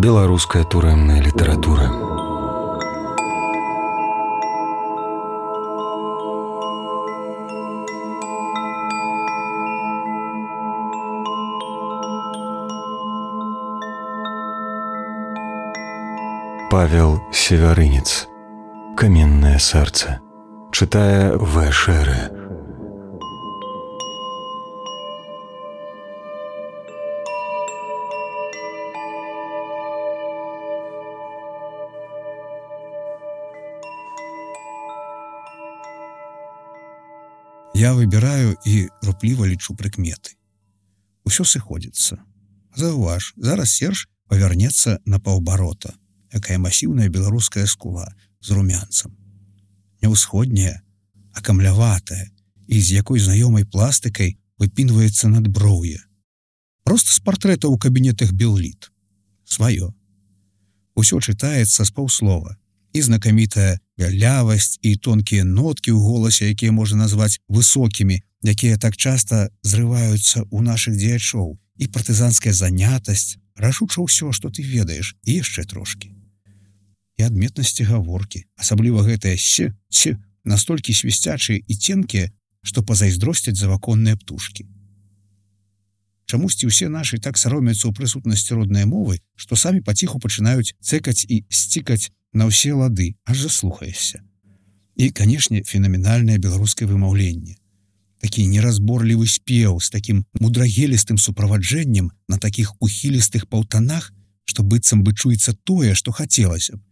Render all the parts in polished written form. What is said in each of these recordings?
Беларуская турэмная літаратура. Павел Севярынец. «Каменное сердце». Читая В. Шере. Я выбіраю і рупліва лічу прыкметы. Усё сыходзіцца. Заўваж, зараз Серж павярнецца на паўабарота, якая масіўная беларуская скула з румянцам. Не ўсходняя, а камляватая, і з якой знаёмай пластыкай выпінваецца надброўе. Проста з партрэта ў кабінетах Белліт. Сваё. Усё чытаецца з паўслова. І знакамітая вялявасць, і тонкія ноткі ў голасе, якія можна назваць высокімі, якія так часта зрываюцца ў нашых дзеячоў, і партызанская занятасць, рашуча ўсё, што ты ведаеш, і яшчэ трошкі. І адметнасці гаворкі, асабліва гэтыя «с», «ц», настолькі свісцячыя і ценкія, што пазайздросцяць заваконныя птушкі. Чамусьці ўсе нашы так саромяцца ў прысутнасці роднай мовы, што самі паціху пачынаюць цэкаць і сцікаць на ўсе лады, аж заслухаешся. І, канешне, фенаменальнае беларускае вымаўленне. Такі неразборлівы спеў з такім мудрагелістым суправаджэннем на такіх ухілістых паўтанах, што быццам бы чуецца тое, што хацелася б.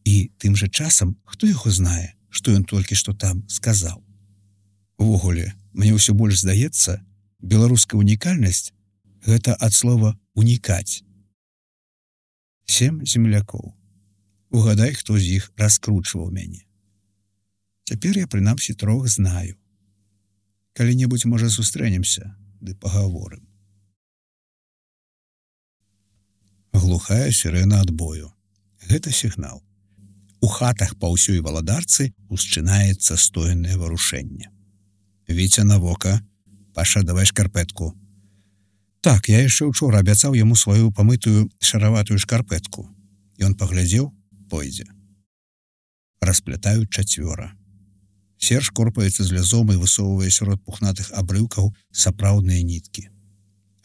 І тым жа часам, хто яго знае, што ён толькі што там сказаў. Увогуле, мне ўсё больш здаецца, беларуская унікальнасць — гэта ад слова «унікаць». 7 землякоў. Угадай, хто з іх раскручваў мяне. Цяпер я, прынамсі, 3 знаю. Калі-небудзь, можа, сустрэнемся, ды пагаворым. Глухая сірэна адбою. Гэта сігнал. У хатах па ўсёй валадарцы усчынаецца стоенае варушэнне. Віця на вока. Паша, давай шкарпэтку. Так, я яшчэ учора абяцаў яму сваю памытую шараватую шкарпэтку. Ён паглядзеў, пойдзе. Расплятаюць 4. Серж корпаецца з лязом і высоўвае сярод пухнатых абрыўкаў сапраўдныя ніткі.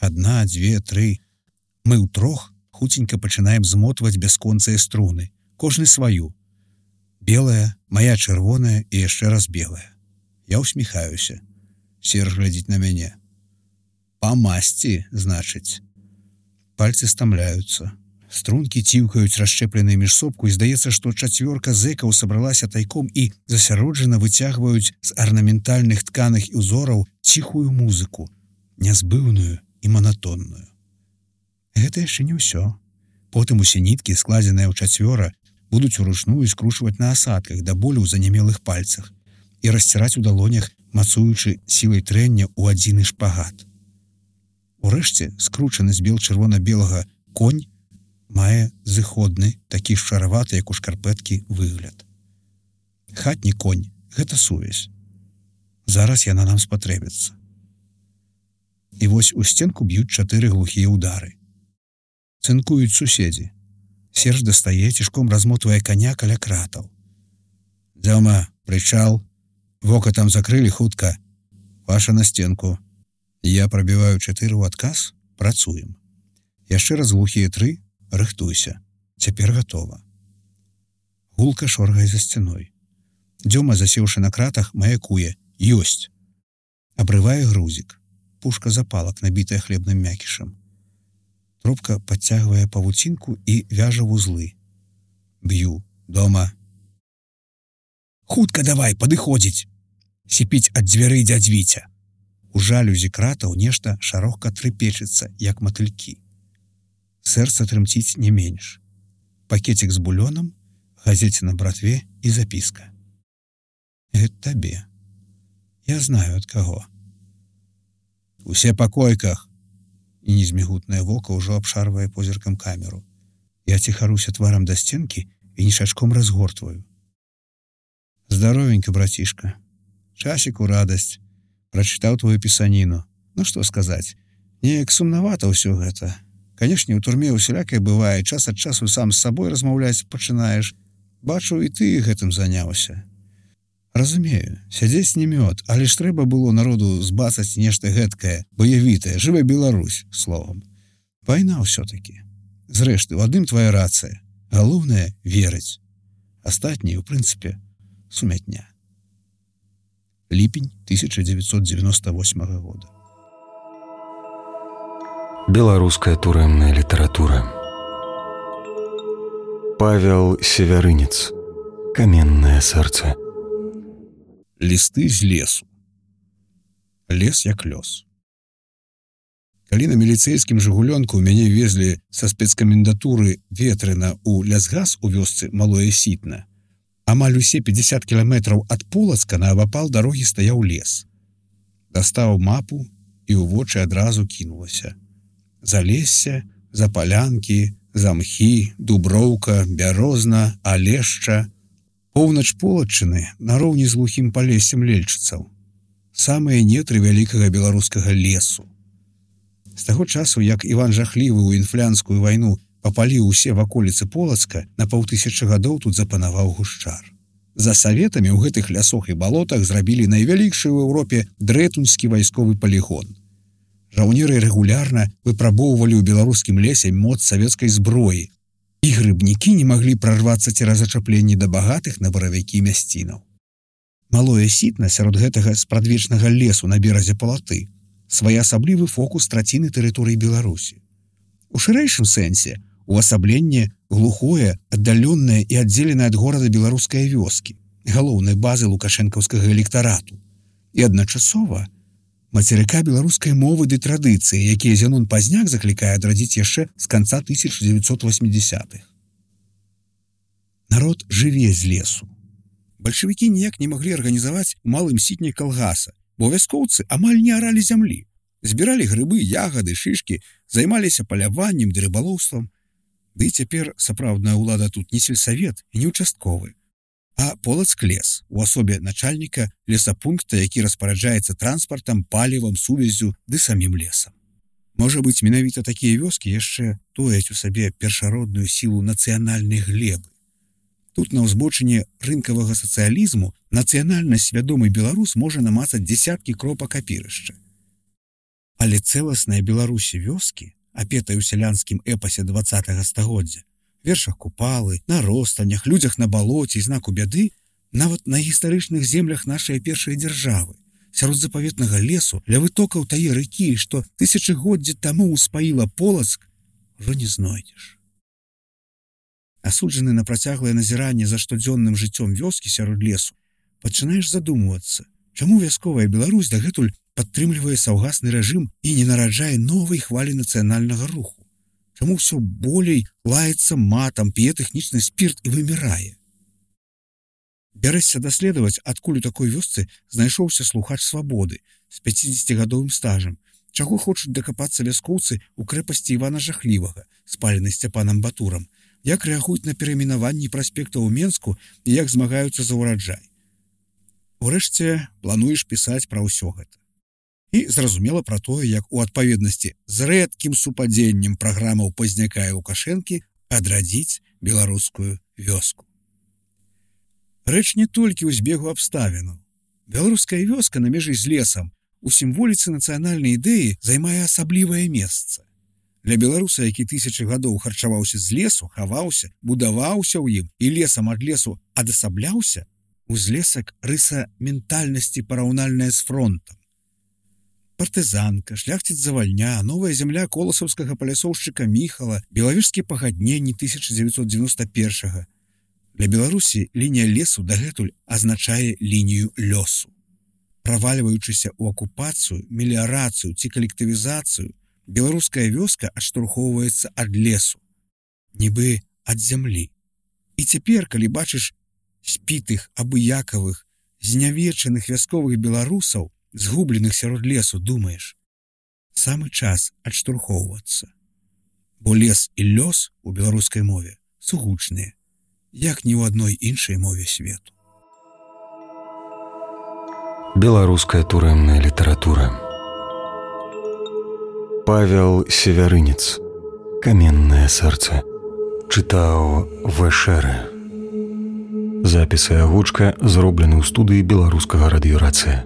1, 2, 3. Мы ўтрох хуценька пачынаем змотваць бясконцыя струны, кожны сваю. Белая, мая чырвоная і яшчэ раз белая. Я усміхаюся. Серж глядзіць на мяне. Па масці, значыць. Пальцы стамляюцца. Стрункі ціўкаюць расшчэпленыя між сопку, і здаецца, што 4 зэкаў сабралася тайком і засяроджана выцягваюць з арнаментальных тканых і узораў ціхую музыку, нязбыўную і манатонную. Гэта яшчэ не ўсё. Потым усе ніткі, складзеныя ў 4, будуць уручную скручваць на асадках да болю ў занямелых пальцах і расціраць у далонях, мацуючы сілай трэння ў адзіны шпагат. Урэшце, скручаны з бел-чырвона-белага конь мае зыходны, такі шараваты, як у шкарпэткі, выгляд. Хатні конь — гэта сувязь. Зараз яна нам спатрэбіцца. І вось у сценку б'юць 4 глухія ўдары. Цынкуюць суседзі. Серж дастае, цішком размотвае каня каля кратаў. «Дзяма, прычал. Вока там закрылі хутка. Паша на стенку». Я прабіваю 4 ў адказ, працуем. Яшчэ раз глухія 3, рыхтуйся. Цяпер гатова. Гулка шоргае за сцяной. Дзёма, засеўшы на кратах, маякуе. Ёсць. Абрывае грузік. Пушка запалак, набітая хлебным мякішам. Трубка падцягвае павуцінку і вяжа вузлы. Б'ю. Дома. Хутка давай, падыходзіць. Сіпіць ад дзвярэй дзядзь Віця. У жалюзі кратаў нешта шарохка трыпечыцца, як матылькі. Сэрца трымціць не менш. Пакетик з булёнам, газеце на братве і запіска. Гэта табе. Я знаю, ад каго. Усе па койках. І незмігутнае вока ўжо абшарвае позіркам камеру. Я ціхаруся тварам да сценкі і нішачком разгортваю. Здаровенька, братішка. Часік у радасць. Прачытаў твою пісаніну. Ну што сказаць, неяк сумнавата ўсё гэта. Канешне, у турме усялякае бывае, час ад часу сам з сабой размаўляць пачынаеш. Бачу, і ты гэтым заняўся. Разумею, сядзець не мёд, але ж трэба было народу збацаць нешта гэткае, баявітае, жывая Беларусь, словам. Вайна ўсё-такі. Зрэшты, у адным твая рацыя. Галоўнае — верыць. Астатняе, у прынцыпе, сумятня. Ліпень 1998 года. Беларуская турэмная літаратура. Павел Севярынец. Каменнае сэрца. Лісты з лесу. Лес як лёс. Калі на міліцэйскім жыгулёнку мяне везлі са спецкамендатуры Ветрына ў лясгас у вёсцы Малое Сітна, амаль усе 50 кіламетраў ад Полацка наабапал дарогі стаяў лес. Дастаў мапу і ў вочы адразу кінулася. Залессе, запалянкі, замхі, дуброўка, бярозна, алешча. Поўнач Полаччыны нароўні з глухім палессем лельчыцаў. Самыя нетры вялікага беларускага лесу. З таго часу, як Іван Жахлівы ў інфлянскую вайну папаліў усе ваколіцы Полацка, на 500 гадоў тут запанаваў гушчар. За саветамі ў гэтых лясох і балотах зрабілі найвялікшы ў Еўропе дрэтунскі вайсковы палігон. Жаўнеры рэгулярна выпрабоўвалі ў беларускім лесе моц савецкай зброі, і грыбнікі не маглі прарвацца цераз зачапленні да багатых на баравікі мясцінаў. Малое Сітна сярод гэтага спрадвечнага лесу на беразе Палаты своеасаблівы фокус траціны тэрыторыі Беларусі. У шырэйшым сэнсе увасабленне глухое, аддаленае і аддзеленае ад горада беларускай вёскі, галоўнай базы лукашэнкаўскага электарату, і адначасова мацерыка беларускай мовы ды традыцыі, якія Зянон Пазняк заклікае адрадзіць яшчэ з канца 1980-х. Народ жыве з лесу. Бальшавікі ніяк не маглі арганізаваць у Малым Сітне калгаса, бо вяскоўцы амаль не аралі зямлі. Збіралі грыбы, ягады, шышкі, займаліся паляваннем ды рыбалоўствам. Ды цяпер сапраўдная ўлада тут не сельсавет і не участковы, а Полацк лес у асобе начальніка лесапункта, які распараджаецца транспартам, палівам, сувяззю ды самім лесам. Можа быць, менавіта такія вёскі яшчэ тояць у сабе першародную сілу нацыянальнай глебы. Тут на ўзбочыне рынкавага сацыялізму нацыянальна свядомы беларус можа намацаць дзесяткі кропак апірышча. Але цэласная Беларусі вёскі, апетая ў сялянскім эпасе 20-го стагоддзя, вершах Купалы, на ростанях, людзях на балоце і знаку бяды, нават на гістарычных землях нашай першай дзяржавы, сярод запаветнага лесу, ля вытокаў тае ракі, што тысячагоддзі таму ўспаіла Полацк, ужо не знойдзеш. Асуджаны на працяглае назіранне за штодзённым жыццём вёскі сярод лесу, пачынаеш задумвацца, чаму вясковая Беларусь дагэтуль падтрымлівае саўгасны рэжым і не нараджае новай хвалі нацыянальнага руху? Чаму ўсё болей лаецца матам, п'е тэхнічны спірт і вымірае? Бярэшся даследаваць, адкуль у такой вёсцы знайшоўся слухач свабоды з 50-гадовым стажам, чаго хочуць дакапацца вяскоўцы ў крэпасці Івана Жахлівага, спаленай Сцяпанам Батурам, як рэагуюць на перайменаванні праспекта ў Менску і як змагаюцца за ўраджай. Урэшце, плануеш пісаць пра ўсё гэта. І зразумела пра тое, як у адпаведнасці з рэдкім супадзеннем праграмаў Пазняка і Лукашэнкі адрадзіць беларускую вёску. Рэч не толькі ў збегу абставінаў. Беларуская вёска на мяжы з лесам у сімволіцы нацыянальнай ідэі займае асаблівае месца. Для беларуса, які тысячы гадоў харчаваўся з лесу, хаваўся, будаваўся ў ім і лесам ад лесу адасабляўся, узлесак рыса ментальнасці параўнальная з фронтам. Партызанка, шляхціц Завальня, новая зямля коласаўскага палясоўшчыка Міхала, белавежскія пагадненні 1991-го. Для Беларусі лінія лесу дагэтуль азначае лінію лёсу. Правальваючыся ў акупацыю, меліярацыю ці калектывізацыю, беларуская вёска адштурхоўваецца ад лесу, нібы ад зямлі. І цяпер, калі бачыш спітых, абыякавых, знявечаных вясковых беларусаў, згубленых сярод лесу, думаеш, самы час адштурхоўвацца. Бо лес і лёс у беларускай мове сугучныя, як ні ў адной іншай мове свету. Беларуская турэмная літаратура. Павел Севярынец. каменнае сэрца. Чытаў Вэшэры. Запісы агучка зроблены ў студыі беларускага радыёрацыя.